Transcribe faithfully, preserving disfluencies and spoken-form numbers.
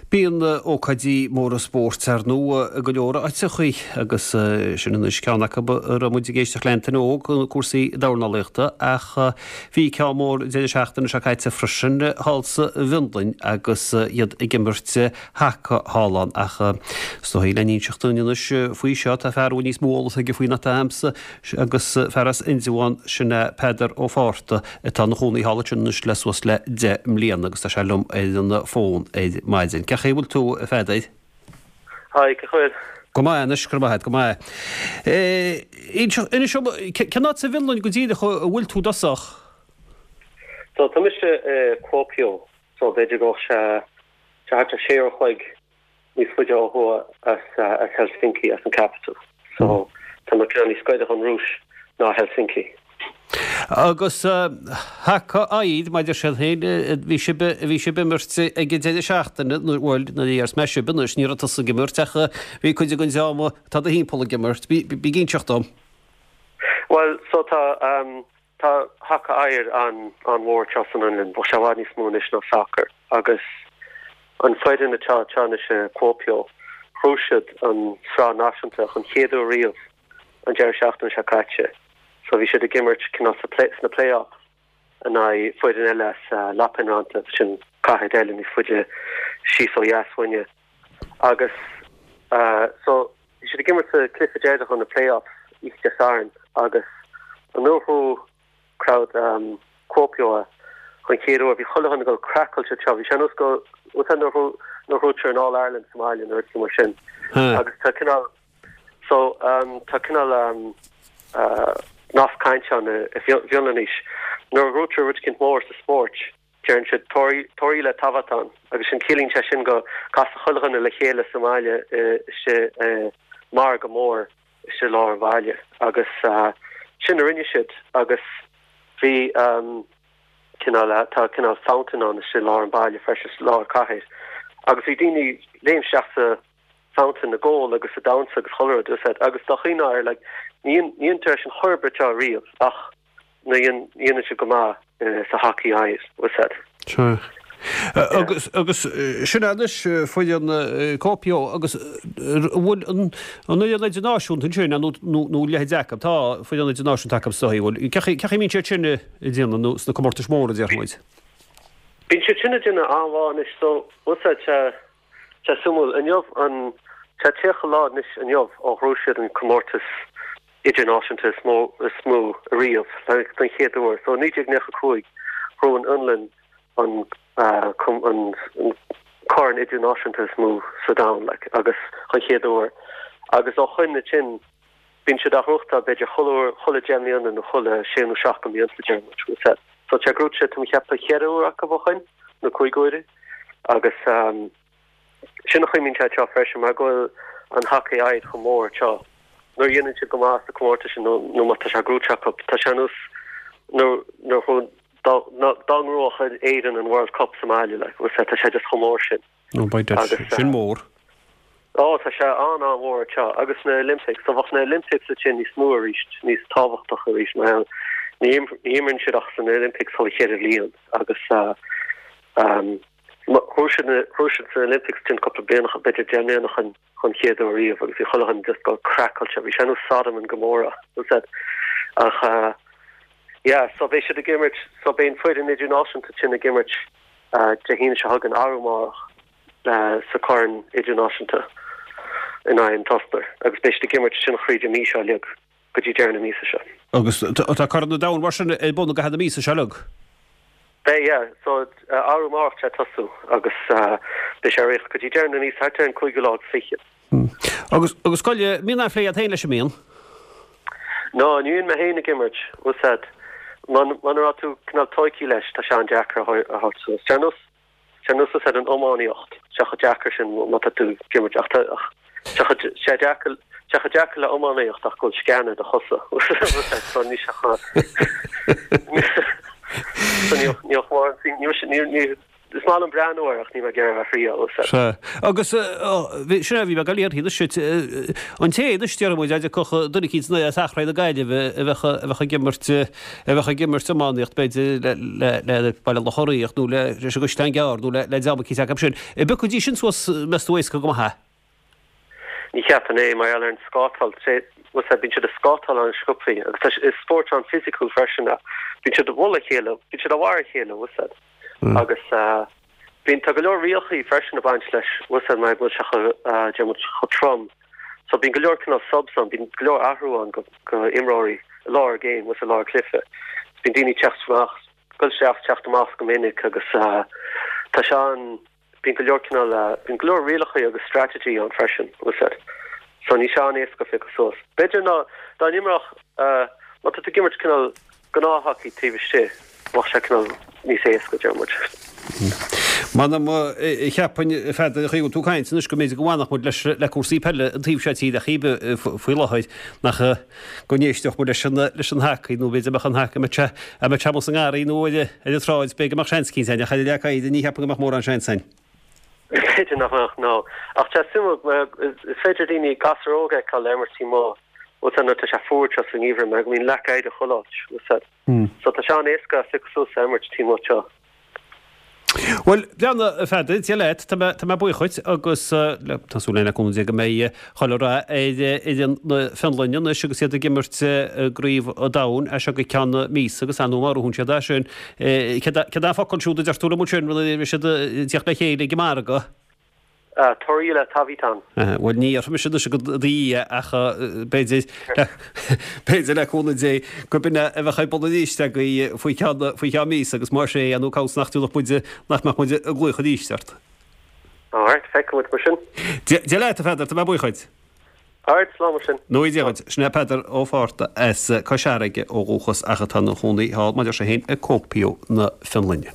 Bíonn ócáidí móra spóirt ar ndóigh i go leor áiteachaí agus sin anois ceann acu a raibh muid ag éisteacht le Antaine Óg, cúrsaí dornálaíochta, ach bhí ceann mór deireadh seachtaine seo caite freisin thall sa bhFionlainn agus iad ag imirt haca thall ann. Ach is dóigh le n-inseacht dúinn anois faoi seo, tá fear a bhfuil níos mó eolas aige faoi ná atá agamsa agus fear as Indreabhán, sin é Peadar Ó Fátharta atá ina chónaí thall ansin anois le suas le deich mbliana agus tá sé liom ar an bhfón ar maidin. Cén chaoi a bhfuil tú, a Pheadair? Hi, cén chaoi? Go maith anois, go raibh maith agat, go maith. Inis dom, cén áit sa bhFionlainn go díreach a bhfuil tú i dtosach? So tá mise i Kuopio, so b'fhéidir go bhfuil sé thart ar sé uair a chloig níos faide ó thuaidh as as Helsinki, as an capital. So tá mé cineál níos gaire don Rúis ná Helsinki. Agus haca oighir, mar a deir siad féin, bhí sibh, bhí sibh ag imirt ag an deireadh seachtaine, nó bhuel, nuair a déarfas mé sibh anois, ní raibh tusa ag imirt ach bhí cuid den dream atá i do thimpeall ag imirt. Bí, bí ag inseacht dom. Bhuel, so tá, tá haca oighir an, an-mhór anseo san Fhionlainn, bheadh sé i bhfad níos mó anois ná sacar, agus an foireann atá anseo anois i Kuopio, ghnóthaigh siad an sraith náisiúnta chun chéad uair riamh an deireadh seachtaine seo caite. So bhí siad ag imirt cineál sa play, sna play-offs in aghaidh foireann eile as Lappeenranta, sin cathair eile níos faide síos ó dheas uainne. Agus so bhí siad ag imirt sa cluiche deireanach na play-offs oíche Dé Sathairn agus an uair a ghnóthaigh crowd Kuopio é chun chéad uair, bhí chuile dhuine ag dul craiceáilte anseo, bhí sé ar nós go, bhfuil a fhios agat nuair a ghnóthaítear an All-Ireland sa mbaile nó rud mar sin. Agus tá cineál So tá cineál nós cainte ann i bhFionlainnis. Nuair a ghnóthaítear rud eicínt mór sa spórt, deireann siad 'torilla tavataan' agus sin ciallaíonn sé sin go castar chuile dhuine le chéile sa mbaile istigh i margadh mór istigh i lár an bhaile agus sin a rinne siad agus bhí cineál tá cineál fountain ann istigh i lár an bhaile freisin, lár cathair agus bhí daoine léim isteach sa fountain ag ól agus ag damhsa agus chuile rud is agus dá chuimhneá air like ní ní dhéantar é sin chor ar bith anseo riamh ach ní dhéanann siad go maith sa haca oighir was it. Sea. Agus agus sin anois foireann Kuopio agus an bhfuil an an fhoireann idirnáisiúnta ansin nó nó nó leithéid acu tá foireann idirnáisiúnta acu sa bhfuil cén chaoi cén chaoi a mbíonn siad sin ag déanamh nó sna comórtais mhóra a déarfaidh muid. Bíonn siad sin ag déanamh an-mhaith anois so was it Tá suimiúil, inniu an tá tríocha lá anois inniu ó ghnóthaigh siad an comórtas idirnáisiúnta is mó is mó riamh don chéad uair. So naoi déag nócha cúig ghnóthaigh an Fhionlainn an an corn idirnáisiúnta is mó sa domhan like agus chun chéad uair. Agus ó shoin ansin bíonn siad á ghnóthachtáil b'fhéidir chuile uair chuile deich mbliana nó chuile sé nó seacht de bhlianta deir muid. So tá gnóthaithe tá mé ag ceapadh ceithre uair acu ó shoin nó cúig uaire agus Sin an chaoi a mbíonn sé anseo freisin, mar go bhfuil an haca oighir chomh mór anseo. Nuair a dhéanann siad go maith sa comórtas sin nó nó má tá sé gnóthaithe acu, tá sé ar nós nuair nuair dá dá ngnóthódh Éirinn an World Cup sa mbaile, like, bhfuil tá sé just chomh mór sin. No, beidh Agus sin mór. Ó, tá sé an-an-mhór anseo. Agus na Olympics, so bheadh na Olympics ansin níos mó arís, níos tábhachtach arís, mar ní ní imríonn siad ach san Olympics chuile cheithre bhliain agus um, Ghnóthaigh siad ghnóthaigh siad san Olympics sin cúpla bliain b'fhéidir deich mbliana chun chun chéad uair riamh agus bhí chuile dhuine just ag dul craiceáilte. Bhí sé ar nós Sodom and Gomorrah was ach uh, yeah, so beidh siad ag imirt so beidh an foireann idirnáisiúnta sin ag imirt uh, Dé hAoine seo chugainn arú amárach uh, sa Corn Idirnáisiúnta in aghaidh an tOstair agus beidh siad ag imirt sin thríd an mí seo uilig go dtí deireadh na míosa seo. Agus tá Corn an Domhain mar sin ar bun i gcaitheamh na míosa seo uilig. Beidh, yeah. So arú amárach tá tosú agus beidh sé ar go dtí deireadh na míosa thart ar an cúigiú lá agus fiche. Agus agus goile mbíonn aon phlé agat féin leis an mbíonn? No, ní bhíonn mé féin ag imirt, was that muna raibh tú cineál tógtha leis tá sé an-deacair a thabhairt suas. Ar nós ar nós is ar an iománaíocht, sé chomh deacair sin má tá tú ag imirt ach ach sé chomh deacair sé chomh deacair le iománaíocht ach go bhfuil sceana i do chosa. So ní sé chomh so ní ní ní ní Is maith liom breathnú air ach níl mé ag iarraidh a thriail. Sea. Agus sin é a bhí mé ag dul a iarraidh anois duit. An té anois, déarfaidh muid, a dtiocfadh duine eicínt as Achréidh na Gaillimhe a bheadh a bheadh ag imirt a bheadh ag imirt iománaíocht b'fhéidir le le le Baile Locha Riach nó le leis an gCaisleán Gearr nó le le dream eicínt acu sin. An bpiocfaidís sin suas meas tú éasca go maith é? Ní cheapaim é mar gheall ar an scátáil. Sé bhfuil bíonn siad ag scátáil an-sciobthaí agus tá is spórt an-fhisiciúil freisin é. Bíonn siad ag bualadh a chéile, bíonn siad ag marú a chéile, bhfuil fhios a'd. Agus bíonn, tá go leor rialacha freisin ag baint leis, bhfuil fhios a'd, mar go bhfuil sé chomh, deir muid, chomh trom. So bíonn go leor cineál subs ann, bíonn go leor athrú ann go, go imreoirí i lár game, bhfuil fhios a'd, i lár cluiche. Bíonn daoine ag teacht amach, dul isteach, teacht amach go minic agus tá sé an, bíonn go leor cineál, bíonn go leor rialacha agus strategy ann freisin, bhfuil fhios a'd. So níl sé an-éasca piocadh suas. B'fhéidir ná, dá n-imreodh, má tá tú ag imirt cineál gnáth-hockey taobh istigh, bheadh sé cineál níos éasca, deir muid. M'anam, cheapfainn, a Pheadair, an chaoi a bhfuil tú ag caint anois, go mb'fhéidir go bhfanfadh muid leis, le cúrsaí peile an taobh seo tíre cibé faoi láthair, nach go n-éisteodh muid leis an, leis an hacaí, nó b'fhéidir mbeadh an hacaí, mbeadh sé, mbeadh sé amuigh sa ngarraí nó ar, ar an tsráid, b'fhéidir go mbeadh seans eicínt againn, ach ar an leac oighir ní cheapaim go mbeadh mórán seans againn. B'fhéidir nach mbeadh, no. Ach tá suimiúil, mar is féidir daoine, gasúir óga a fheiceáil ag imirt taobh amuigh, bhfuil fhios a'd, nuair atá sé fuar sa ngeimhreadh mar go mbíonn leac oighir chuile áit, bhfuil fhios a'd. So tá sé an-éasca piocadh suas ag imirt taobh amuigh anseo. Bhuel, breathnaigh, a Pheadair, Dia leat, tá mé, tá mé buíoch dhuit agus tá súil againn le cúnamh Dé go mbeidh chuile rath ar fhoireann na Fionlainne anois agus iad ag imirt i gCraobh an Domhain as seo go ceann míosa agus ar ndóigh má ghnóthaíonn siad é sin, céard é an focal siúd a deir tú liom ansin, rud a bhí siad ag tíocht le chéile ag an margadh? Torilla tavataan. Bhuel, ní dhéarfaidh mise anois go dtí é ach b'fhéidir, b'fhéidir le cúnamh Dé, gurb in é a bheadh ar bun arís agaibh faoi cheann, faoi cheann míosa agus más ea, nó cá bhfios nach dtiocfadh muid, nach mbeadh muid ag glaoch arís ort. Alright, feicfidh muid mar sin. Dia leat, a Pheadair, tá mé buíoch dhuit. Alright, slán mar sin. Nó Dia dhuit. Sin é Peadar Ó Fátharta as Cois Fharraige ó dhúchas ach atá ina chónaí thall, mar a deir sé féin, i Kuopio na Fionlainne.